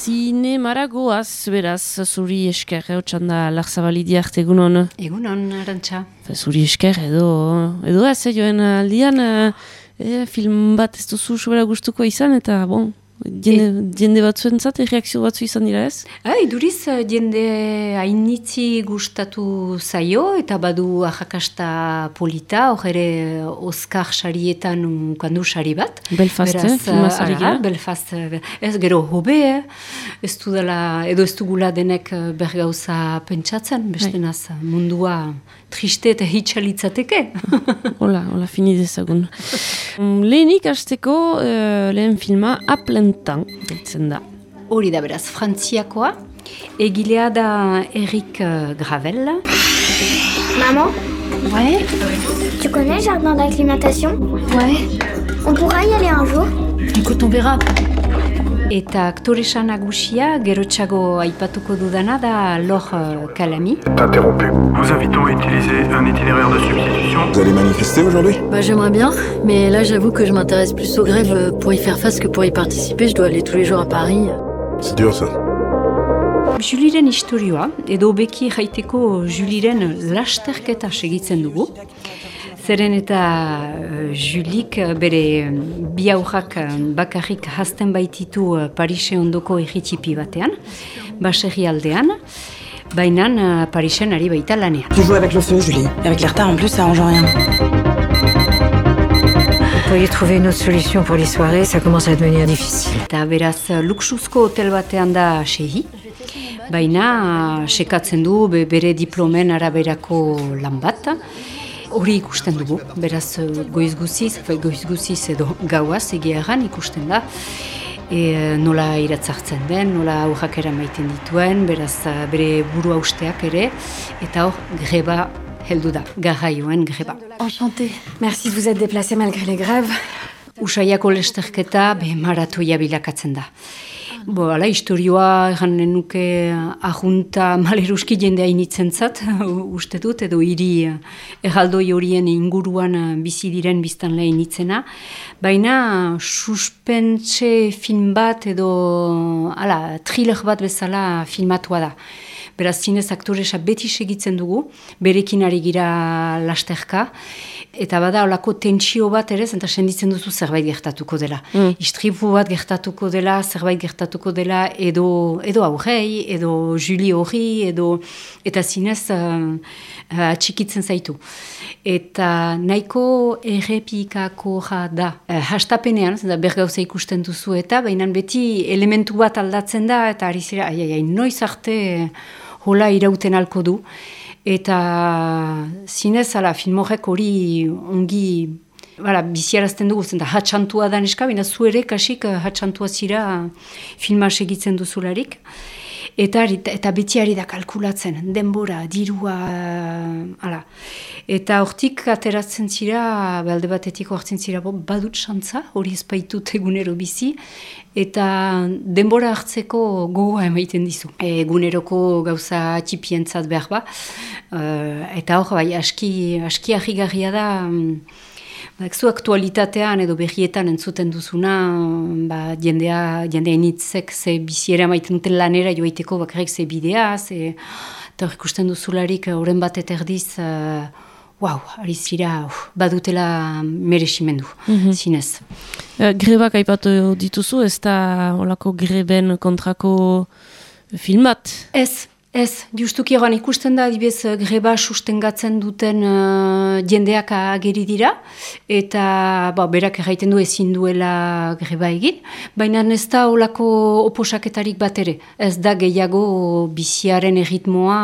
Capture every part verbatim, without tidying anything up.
Zinemara goaz, beraz, zuri esker, eotxan da Larzabalidi arte egunon. Egunon, Arantxa. Zuri esker, edo, edo ez, joen aldian, e, film bat ez duzu sobera gustuko izan, eta, bon, jende, e... jende batzuen zat, reakzio batzu izan dira ez? Ha, iduriz, jende hainitzi gustatu zaio, eta badu ahakasta polita, hor ere Oscar sarietan ukandu sari bat. Belfast, eh? Filmaz ari gira? Belfast, ez gero hobe, ez du dela, edo ez dugula denek bergauza pentsatzen, bestenaz mundua triste eta hitxalitzateke. Hola, hola, fini dezagun. Lehenik hasteko uh, lehen filma Aplentan, ditzen da. Hori da beraz, frantziakoa, egilea da Eric Gravel. Maman? Ouais? Tu connais le jardin d'acclimatation? Ouais. On pourra y aller un jour? Écoute, on verra. Eta aktoresa nagusia, gerotxago aipatuko dudana da Laure Calamy. Interrompu. Nous invitons à utiliser un itinéraire de substitution. Vous allez manifester aujourd'hui? Bah j'aimerais bien, mais là j'avoue que je m'intéresse plus aux grèves pour y faire face que pour y participer. Je dois aller tous les jours à Paris. C'est dur ça. Juliren historioa, edo beki jaiteko Juliren lasterketa segitzen dugu. Zeren eta uh, Julik bere bi aurrak bakarrik hasten baititu uh, Parise ondoko egitipi batean, baserri aldean, baina uh, Parisen ari baita lanean. Tu joues avec le feu, Julie. Avec les retards en plus, ça arrange rien. Vous pourriez trouver une autre solution pour les soirées, ça commence à devenir difficile. Eta beraz, luxuzko hotel batean da sehi, baina uh, sekatzen du be, bere diplomen araberako lan bat. Hori ikusten dugu, beraz goiz guziz, goiz guziz edo gauaz egia erran ikusten da. E, nola iratzartzen den, nola aurrak eramaiten dituen, beraz bere buru hausteak ere, eta hor greba heldu da, garraioen greba. Enchantée. Merci de vous être déplacé malgré les grèves. Usaiako lesterketa be maratoia bilakatzen da. Bo, ala, historioa egan nuke ajunta maleruski jendea initzen zat, uste dut, edo hiri erraldoi horien inguruan bizi diren biztan lehen initzena. Baina suspentse film bat edo ala, thriller bat bezala filmatua da. Beraz, zinez aktoresa beti segitzen dugu, berekin ari gira lasterka, eta bada olako tentsio bat ere, eta senditzen duzu zerbait gertatuko dela. Mm. Istripu bat gertatuko dela, zerbait gertatuko dela, edo, edo aurrei, edo Julie hori, edo, eta zinez uh, uh, atxikitzen zaitu. Eta nahiko errepikako da. Uh, hastapenean, zenta bergauza ikusten duzu eta, baina beti elementu bat aldatzen da, eta ari zira, ai, ai, ai, noiz arte hola irauten alko du. Eta zinez, ala, film horrek hori ongi bala, biziarazten dugu, zenta hatxantua da neska, baina zu ere kasik hatxantua zira filma segitzen duzularik. Eta, eta beti ari da kalkulatzen, denbora, dirua, ala. Eta hortik ateratzen zira, balde batetik hortzen zira, badut xantza, hori ezpaitut egunero bizi, eta denbora hartzeko gogoa emaiten dizu. Eguneroko gauza txipientzat behar ba, eta hor, bai, aski, aski ahigarria da, zu aktualitatean edo berrietan entzuten duzuna, ba, jendea, jendea initzek ze biziera maiten duten lanera joaiteko bakarrik ze bidea, ze, eta hor ikusten duzularik horren bat eterdiz, uh, wow, ari zira, uh, badutela meresimendu, mm-hmm. zinez. Uh, grebak aipatu dituzu, ez da olako greben kontrako film bat? Ez. Ez, justuki egan ikusten da, adibez, greba sustengatzen duten uh, jendeak ageri dira, eta ba, berak erraiten du ezin duela greba egin, baina ez da olako oposaketarik bat ere. Ez da gehiago biziaren erritmoa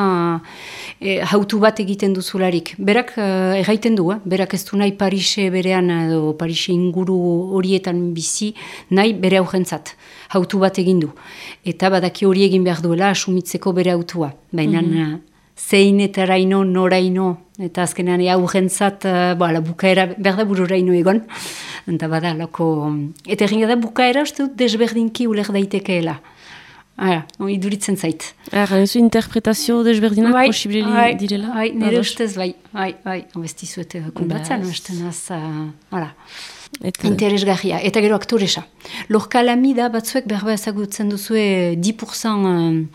e, hautu bat egiten duzularik. Berak uh, erraiten du, eh? Berak ez du nahi Parise berean, edo Parise inguru horietan bizi, nahi bere aurrentzat. Hautu bat egin du. Eta badaki hori egin behar duela asumitzeko bere autua. Baina mm-hmm. zein eta raino, noraino, eta azkenean aurrentzat, uh, bukaera behar da bururaino egon. Eta bada, loko... Eta egin da bukaera, uste dut, desberdinki uler daitekeela. Hala, iduritzen zait. Erran ezu interpretazio desberdinak Bai, posible bai, direla? bai, nire Ados. ustez, bai, bai, bai, obestizuete kundatzen, Bas. beste naz, uh, hala. Eta, Interesgarria, eta gero aktoresa. Lorca Lamida batzuek berba ezagutzen duzue dix pour cent uh,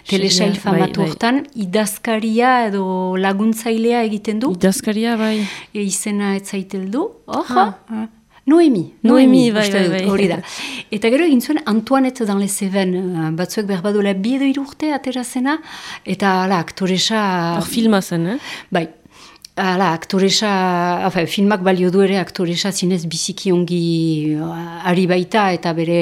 telesail Bai, famatu bai. hortan, idazkaria edo laguntzailea egiten du, idazkaria, bai. e, izena etzaiteldu, hor, Ah. uh, Noemi, Noemi, bai, uste bai, dut, bai. hori da. Eta gero egin zuen Antoinette dans les Cévennes, uh, batzuek berbadola bi edo hiru urte aterazena, eta ala, aktoresa... Hor filma zen, eh? Bai, ala, aktoresa, afe, filmak balio du ere aktoresa zinez biziki ongi uh, ari baita, eta bere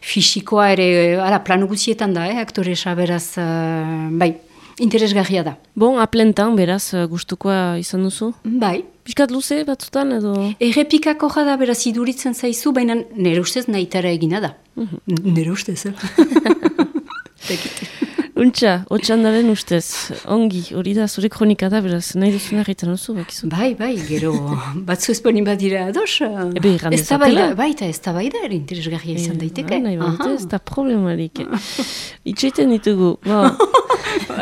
fisikoa ere, ala, plano guzietan da, eh, aktoresa beraz, uh, bai, interesgarria da. Bon, aplentan, beraz, eh, gustukoa izan duzu? Bai, Piskat luze batzutan edo... errepikako jada beraz iduritzen zaizu, baina nire ustez nahitara egina da. Nire ustez, eh? Untxa, otxandaren ustez, ongi, hori da, zure kronika da, beraz, nahi duzuna egiten duzu, bakizu. Bai, bai, gero, batzu ez bani badira ados. Ebe, irran Ez da bai da, dezatela. bai, eta ez da bai da, ere interesgarria izan daiteke. Ah, nahi Aha. badute, ez da problemarik. Itxeiten ditugu, ba.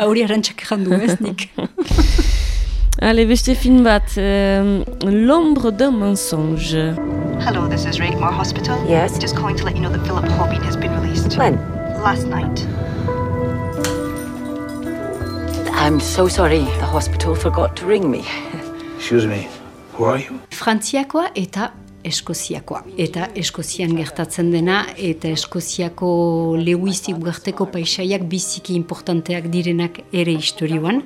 Hori arantxak errandu ez nik. Ale, beste film bat, euh, L'ombre d'un mensonge. Hello, this is Rakemore Hospital. Yes? Just calling to let you know that Philip Hobbin has been released. When? Last night. I'm so sorry. The hospital forgot to ring me. Excuse me, who are you? Frantziakoa eta Eskoziakoa. Eta Eskozian gertatzen dena, eta Eskoziako Lewis ugarteko paisaiak biziki importanteak direnak ere historioan.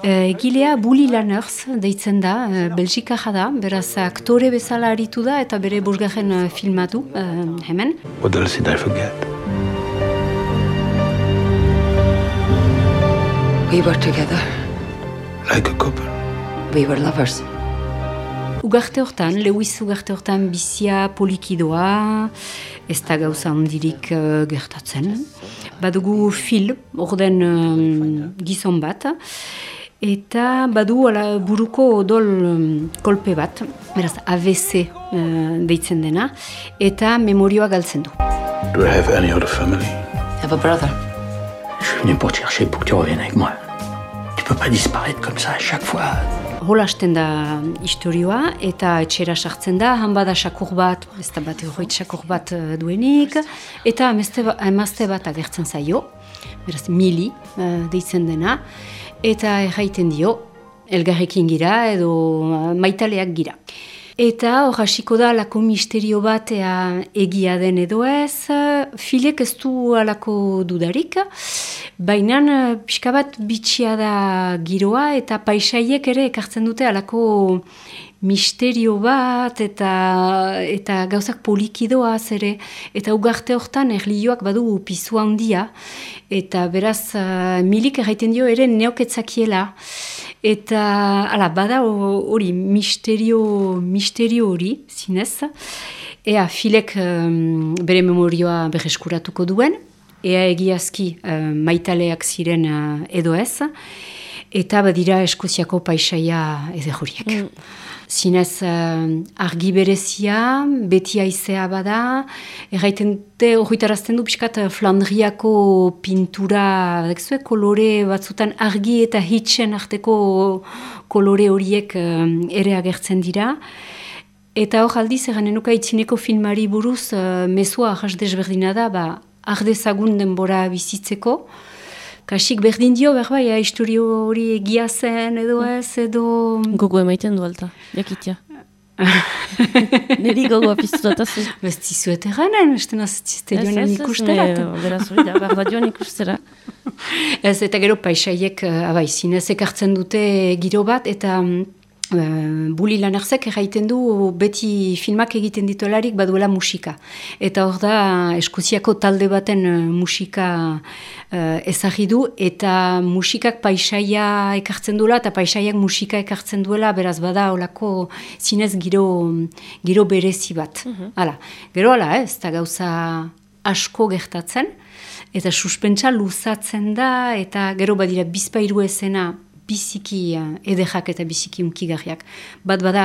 E, Gilea Bully Lanners deitzen da, e, Belgikaja da, beraz aktore bezala aritu da, eta bere bosgarren e, filmatu, e, hemen. What else did I forget? We were together. Like a couple. We were lovers. Ugarte hortan, Lewis ugarte hortan bizia polikidoa, ez da gauza handirik uh, gertatzen. Badugu Phil, orden um, gizon bat, eta badu ala, buruko odol um, kolpe bat, beraz A V C uh, deitzen dena, eta memorioa galtzen du. Do I have any other family? I have a brother. Je suis venu pour te chercher pour que tu reviennes avec moi. Tu peux pas disparaître comme ça à chaque fois. Holasten da historioa, eta etxera sartzen da, han bada sakur bat, ez da bat egoit sakur bat uh, duenik, eta emazte ba, emazte bat agertzen zaio, beraz Mili uh, deitzen dena, eta erraiten dio, elgarrekin gira edo uh, maitaleak gira. Eta hor hasiko da alako misterio bat ea egia den edo ez, Filek ez du alako dudarik, baina pixka bat bitxia da giroa eta paisaiek ere ekartzen dute alako misterio bat eta, eta gauzak polikidoaz ere, eta ugarte hortan erlioak badu pizu handia, eta beraz uh, Milik erraiten dio ere neoketzakiela. Eta, ala, bada hori, misterio, misterio hori, zinez. Ea, Filek um, bere memorioa berreskuratuko duen, ea egiazki uh, maitaleak ziren uh, edo ez, eta badira Eskoziako paisaia edehoriek. Mm. Zinez, uh, argi berezia, beti aizea bada, erraiten dute, horretarazten du pixkat Flandriako pintura, dekzue, kolore batzutan argi eta hitsen arteko kolore horiek uh, ere agertzen dira. Eta hor aldiz, eranenuka itzineko filmari buruz, uh, mezua ahas desberdina da, ba, ardezagun denbora bizitzeko, kasik berdin dio, berbai, ja, historio hori egia zen, edo ez, edo... Gogo emaiten du alta, jakitia. Neri gogoa piztu datazu. Besti zuet eranen, esten azizte joanen ikusterat. Beraz hori da, behar da joan ikustera. Ez, eta gero paisaiek, abai, zinez ekartzen dute giro bat, eta... Uh, Bully Lannersek erraiten du beti filmak egiten dituelarik baduela musika. Eta hor da Eskoziako talde baten uh, musika uh, ezagri du, eta musikak paisaia ekartzen duela, eta paisaiak musika ekartzen duela, beraz bada holako zinez giro, giro berezi bat. Uh-huh. Hala, gero hala, ez da gauza asko gertatzen, eta suspentsa luzatzen da, eta gero badira bizpairu ezena, biziki uh, edejak eta biziki unkigarriak. Bat bada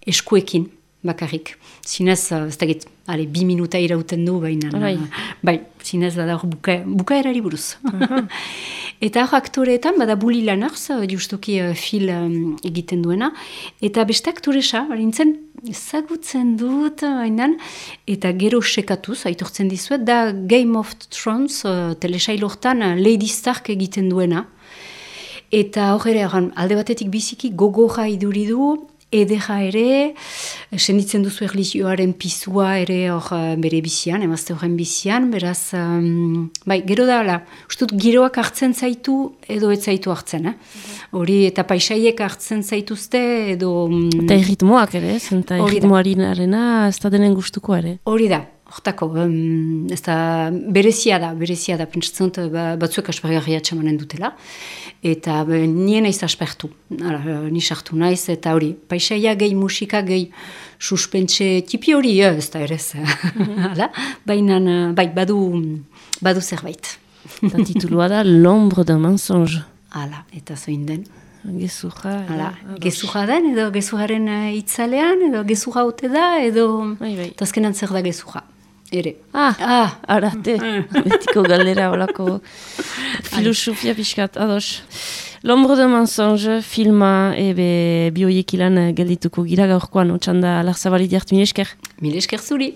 eskuekin, bakarrik. Zinez, ez dakit, ale, bi minuta irauten du, baina, bai, bai zinez bada hor buka, bukaerari buruz. Uh-huh. Eta hor aktoreetan, bada Bully Lanars, justuki uh, fil um, egiten duena, eta beste aktoresa, barintzen, ezagutzen dut, bainan, eta gero sekatuz, aitortzen dizuet, da Game of Thrones, uh, telesailortan, uh, Lady Stark egiten duena. Eta hor ere, alde batetik biziki, gogorra iduridu, edera ere, senditzen duzu erlijioaren pisua ere hor bere bizian, emazte horren bizian, beraz, um, bai, gero da, la, ustut, giroak hartzen zaitu edo ez zaitu hartzen, hori, eh? eta paisaiek hartzen zaituzte edo... Um, eta erritmoak ere, eta erritmoarinarena ez da denen gustuko ere. Hori da. Hortako, um, ez da, berezia da, berezia da, pentsatzen dut, ba, batzuek aspergarria txamanen dutela, eta be, nien naiz aspertu, Hala, ni sartu naiz, eta hori, paisaia gehi musika, gehi suspentse tipi hori, ez da ere ez, hala, baina, bai, badu, badu zerbait. Eta titulua da, L'ombre d'un mensonge. Hala, eta zoin den. Gezurra. Hala, gezurra den, edo gezurraren itzalean, edo gezurra ote da, edo, eta azkenan zer da gezurra. Ere. Ah, ah, arate. Betiko galdera olako filosofia pixkat, ados. L'ombre de mensonge filma ebe bioiekilan geldituko gira gaurkoan, otxanda Larzabali diart, mil esker. Mil esker zuri.